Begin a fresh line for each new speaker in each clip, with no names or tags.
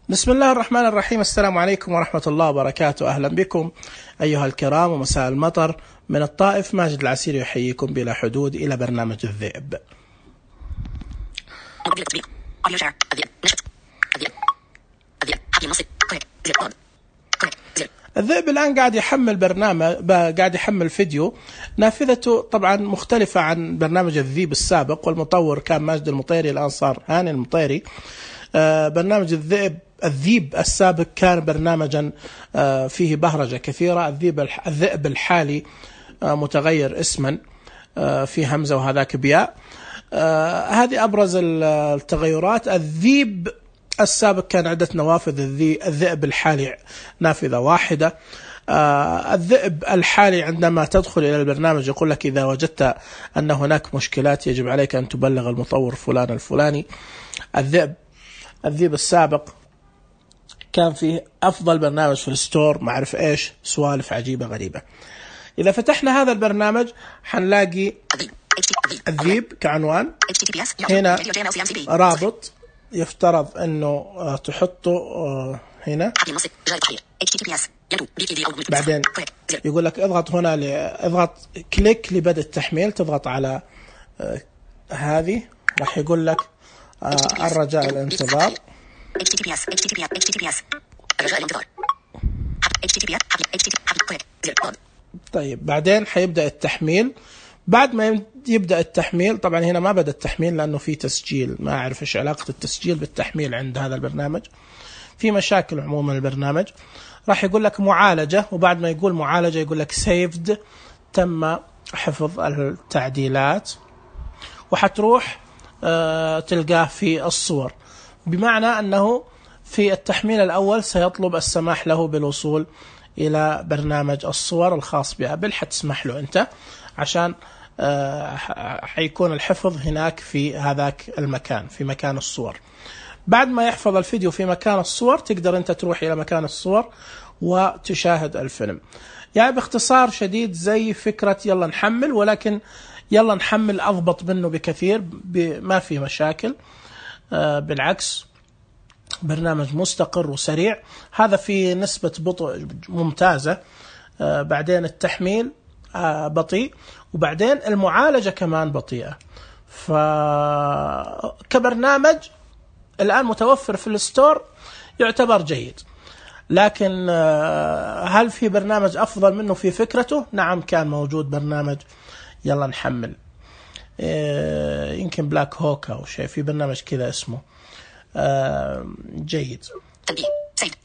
بسم الله الرحمن الرحيم. السلام عليكم ورحمة الله وبركاته. أهلا بكم أيها الكرام ومساء المطر من الطائف. ماجد العسيري يحييكم بلا حدود إلى برنامج الذئب. الذئب الآن قاعد يحمل برنامج، قاعد يحمل فيديو. نافذته طبعا مختلفة عن برنامج الذئب السابق، والمطور كان ماجد المطيري، الآن صار هاني المطيري. برنامج الذئب السابق كان برنامجا فيه بهرجة كثيرة. الذئب الحالي متغير اسما، في همزة وهذاك بياء. هذه أبرز التغيرات. الذئب السابق كان عدة نوافذ، الذئب الحالي نافذة واحدة. الذئب الحالي عندما تدخل إلى البرنامج يقول لك إذا وجدت أن هناك مشكلات يجب عليك أن تبلغ المطور فلان الفلاني. الذئب السابق كان فيه أفضل برنامج في الستور، ما أعرف إيش، سوالف عجيبة غريبة. إذا فتحنا هذا البرنامج حنلاقي الذئب كعنوان. هنا رابط يفترض أنه تحطه هنا. بعدين يقول لك اضغط هنا، اضغط كليك لبدء التحميل. تضغط على هذه، راح يقول لك الرجاء الانتظار. طيب بعدين حيبدأ التحميل. بعد ما يبدأ التحميل، طبعا هنا ما بدأ التحميل لأنه في تسجيل، ما أعرف إيش علاقة التسجيل بالتحميل عند هذا البرنامج. في مشاكل عموما البرنامج. راح يقول لك معالجة، وبعد ما يقول معالجة يقول لك saved، تم حفظ التعديلات. وحتروح تلقاه في الصور، بمعنى أنه في التحميل الأول سيطلب السماح له بالوصول إلى برنامج الصور الخاص بأبل. حتسمح له أنت عشان حيكون الحفظ هناك في هذاك المكان، في مكان الصور. بعد ما يحفظ الفيديو في مكان الصور تقدر أنت تروح إلى مكان الصور وتشاهد الفيلم. يعني باختصار شديد زي فكرة يلا نحمل، ولكن يلا نحمل أضبط منه بكثير، ما في مشاكل. بالعكس برنامج مستقر وسريع. هذا في نسبة بطء ممتازة. بعدين التحميل بطيء، وبعدين المعالجة كمان بطيئة. فكبرنامج الآن متوفر في الستور يعتبر جيد. لكن هل في برنامج أفضل منه في فكرته؟ نعم، كان موجود برنامج يلا نحمل، يمكن بلاك هوك أو شيء، في برنامج كذا اسمه جيد.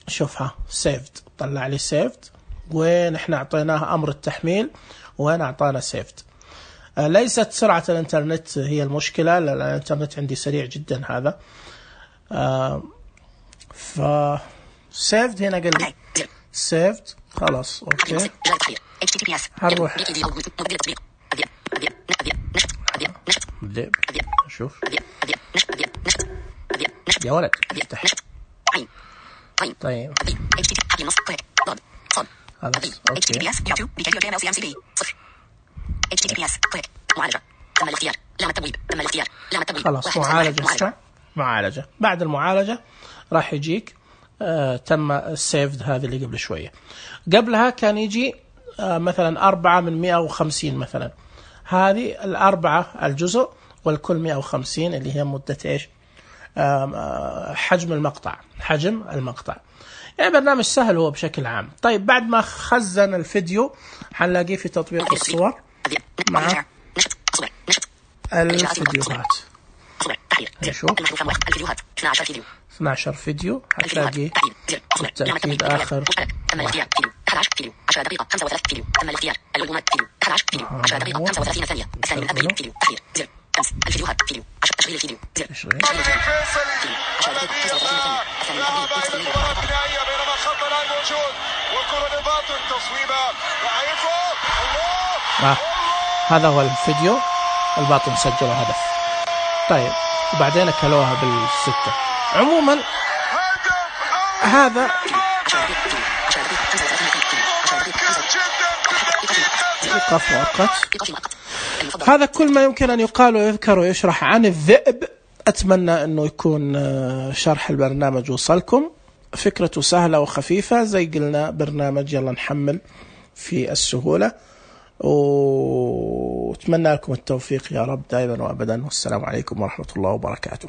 شوفها saved، طلع لي saved، ونحن أعطيناه أمر التحميل وين أعطانا saved. ليست سرعة الانترنت هي المشكلة، لأن الانترنت عندي سريع جدا هذا. saved هنا قال لي saved، خلاص أوكي. هنروح شوف يا ولد افتح. طيب خلاص اوكي. خلاص معالجة. بعد المعالجة راح يجيك تم السيفد. هذه اللي قبل شوية، قبلها كان يجي مثلا 4 من 150 مثلا. هذه 4 الجزء، والكل 150 اللي هي مدة ايش، حجم المقطع. يعني برنامج سهل هو بشكل عام. طيب بعد ما خزن الفيديو حنلاقيه في تطبيق الصور مع الفيديوهات. نشوف 12 فيديو، هتلاقي بالتأكيد آخر واحد.
11 فيديو 10 دقيقة 35 فيديو. تم الاختيار. الألبومات فيديو 11 فيديو 10 دقيقة 35 ثانية. الثاني من أبريل فيديو تحرير زر 5 الفيديوهات فيديو 10 تشغيل الفيديو زر 10 دقيقة 35 ثانية. الثاني من أبريل فيديو بينما الخط الآن موجود والكرة للباطن تصويبة الله.
هذا هو الفيديو، الباطن سجل هدف. طيب وبعدين أكلوها بالستة. عموما هذا هذا كل ما يمكن أن يقال ويذكر ويشرح عن الذئب. أتمنى أنه يكون شرح البرنامج وصلكم. فكرته سهلة وخفيفة، زي قلنا برنامج يلا نحمل في السهولة، واتمنى لكم التوفيق يا رب دائما وأبدا، والسلام عليكم ورحمة الله وبركاته.